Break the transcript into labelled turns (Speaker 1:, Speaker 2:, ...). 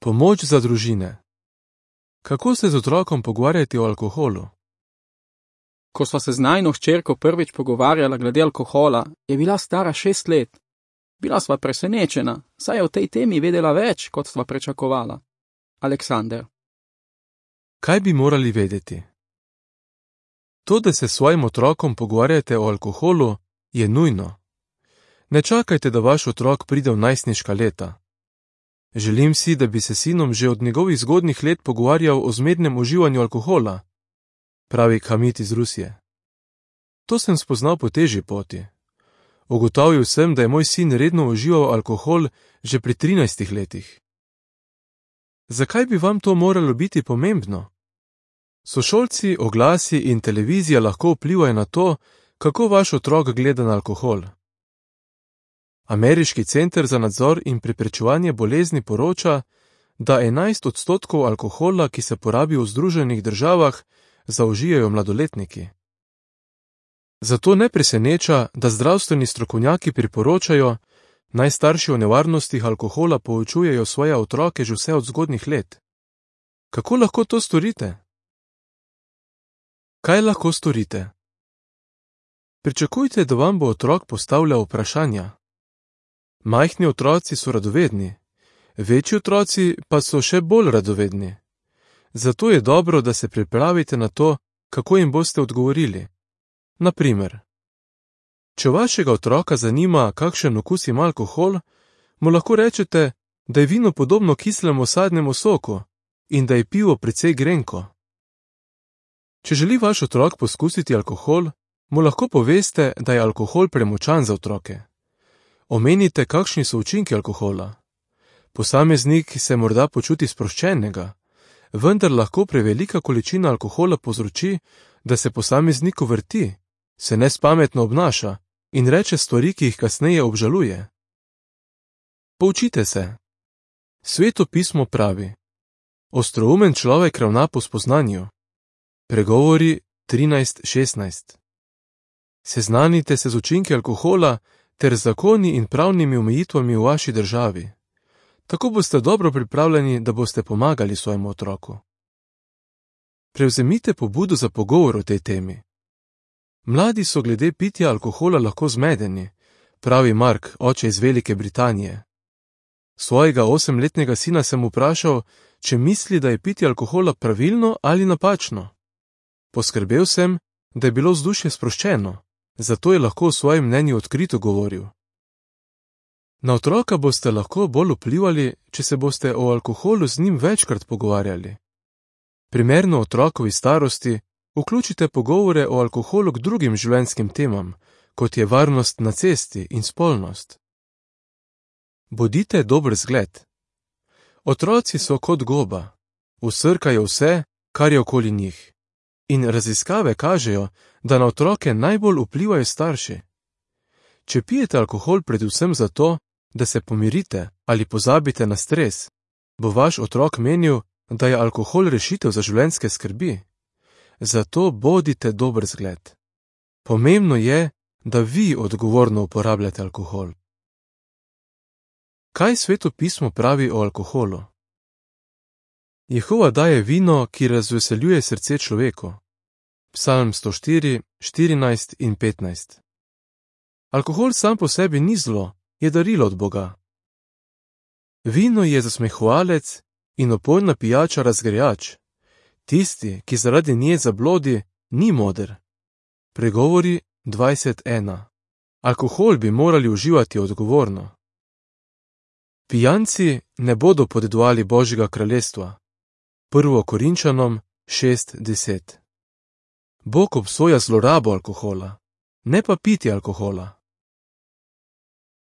Speaker 1: Pomoč za družine. Kako se z otrokom pogovarjati o alkoholu?
Speaker 2: Ko sva se z najino hčerko prvič pogovarjala glede alkohola, je bila stara 6 let. Bila sva presenečena, saj je o tej temi vedela več, kot sva pričakovala. Aleksander.
Speaker 1: Kaj bi morali vedeti? To, da se s svojim otrokom pogovarjate o alkoholu, je nujno. Ne čakajte, da vaš otrok pride v najstniška leta. Želim si, da bi se sinom že od njegovih zgodnjih let pogovarjal o zmernem uživanju alkohola, pravi Hamid iz Rusije. To sem spoznal po težji poti. Ugotavil sem, da je moj sin redno užival alkohol že pri 13 letih. Zakaj bi vam to moralo biti pomembno? Sošolci, oglasi in televizija lahko vplivajo na to, kako vaš otrok gleda na alkohol. Ameriški center za nadzor in preprečevanje bolezni poroča, da 11% alkohola, ki se porabi v Združenih državah, zaužijajo mladoletniki. Zato ne preseneča, da zdravstveni strokovnjaki priporočajo, naj starši o nevarnostih alkohola poučujejo svoje otroke že vse od zgodnjih let. Kako lahko to storite? Kaj lahko storite? Pričakujte, da vam bo otrok postavljal vprašanja. Majhni otroci so radovedni, večji otroci pa so še bolj radovedni. Zato je dobro, da se pripravite na to, kako jim boste odgovorili. Naprimer, če vašega otroka zanima, kakšen okus ima alkohol, mu lahko rečete, da je vino podobno kislemu sadnemu soku in da je pivo precej grenko. Če želi vaš otrok poskusiti alkohol, mu lahko poveste, da je alkohol premočan za otroke. Omenite, kakšni so učinki alkohola. Posameznik se morda počuti sproščenega, vendar lahko prevelika količina alkohola povzroči, da se posamezniku vrti, se nespametno obnaša in reče stvari, ki jih kasneje obžaluje. Poučite se. Sveto pismo pravi: ostroumen človek ravna po spoznanju. Pregovori 13:16. Seznanite se z učinki alkohola ter zakoni in pravnimi omejitvami v vaši državi. Tako boste dobro pripravljeni, da boste pomagali svojemu otroku. Prevzemite pobudo za pogovor o tej temi. Mladi so glede pitja alkohola lahko zmedeni, pravi Mark, oče iz Velike Britanije. Svojega 8-letnega sina sem vprašal, če misli, da je pitje alkohola pravilno ali napačno. Poskrbel sem, da je bilo vzdušje sproščeno, zato je lahko v svojem mnenju odkrito govoril. Na otroka boste lahko bolj vplivali, če se boste o alkoholu z njim večkrat pogovarjali. Primerno otrokovi starosti vključite pogovore o alkoholu k drugim življenjskim temam, kot je varnost na cesti in spolnost. Bodite dober zgled. Otroci so kot goba, vsrkajo vse, kar je okoli njih. In raziskave kažejo, da na otroke najbolj vplivajo starši. Če pijete alkohol predvsem zato, da se pomirite ali pozabite na stres, bo vaš otrok menil, da je alkohol rešitev za življenjske skrbi. Zato bodite dober zgled. Pomembno je, da vi odgovorno uporabljate alkohol. Kaj Sveto pismo pravi o alkoholu? Jehova daje vino, ki razveseljuje srce človeku. Psalm 104, 14 in 15. Alkohol sam po sebi ni zlo, je darilo od Boga. Vino je zasmehovalec in opojna pijača razgrajač. Tisti, ki zaradi nje zablodi, ni moder. Pregovori 20:1. Alkohol bi morali uživati odgovorno. Pijanci ne bodo podedovali Božjega kraljestva. 1. Korinčanom 6:10. Bog obsoja zlorabo alkohola, ne pa pitje alkohola.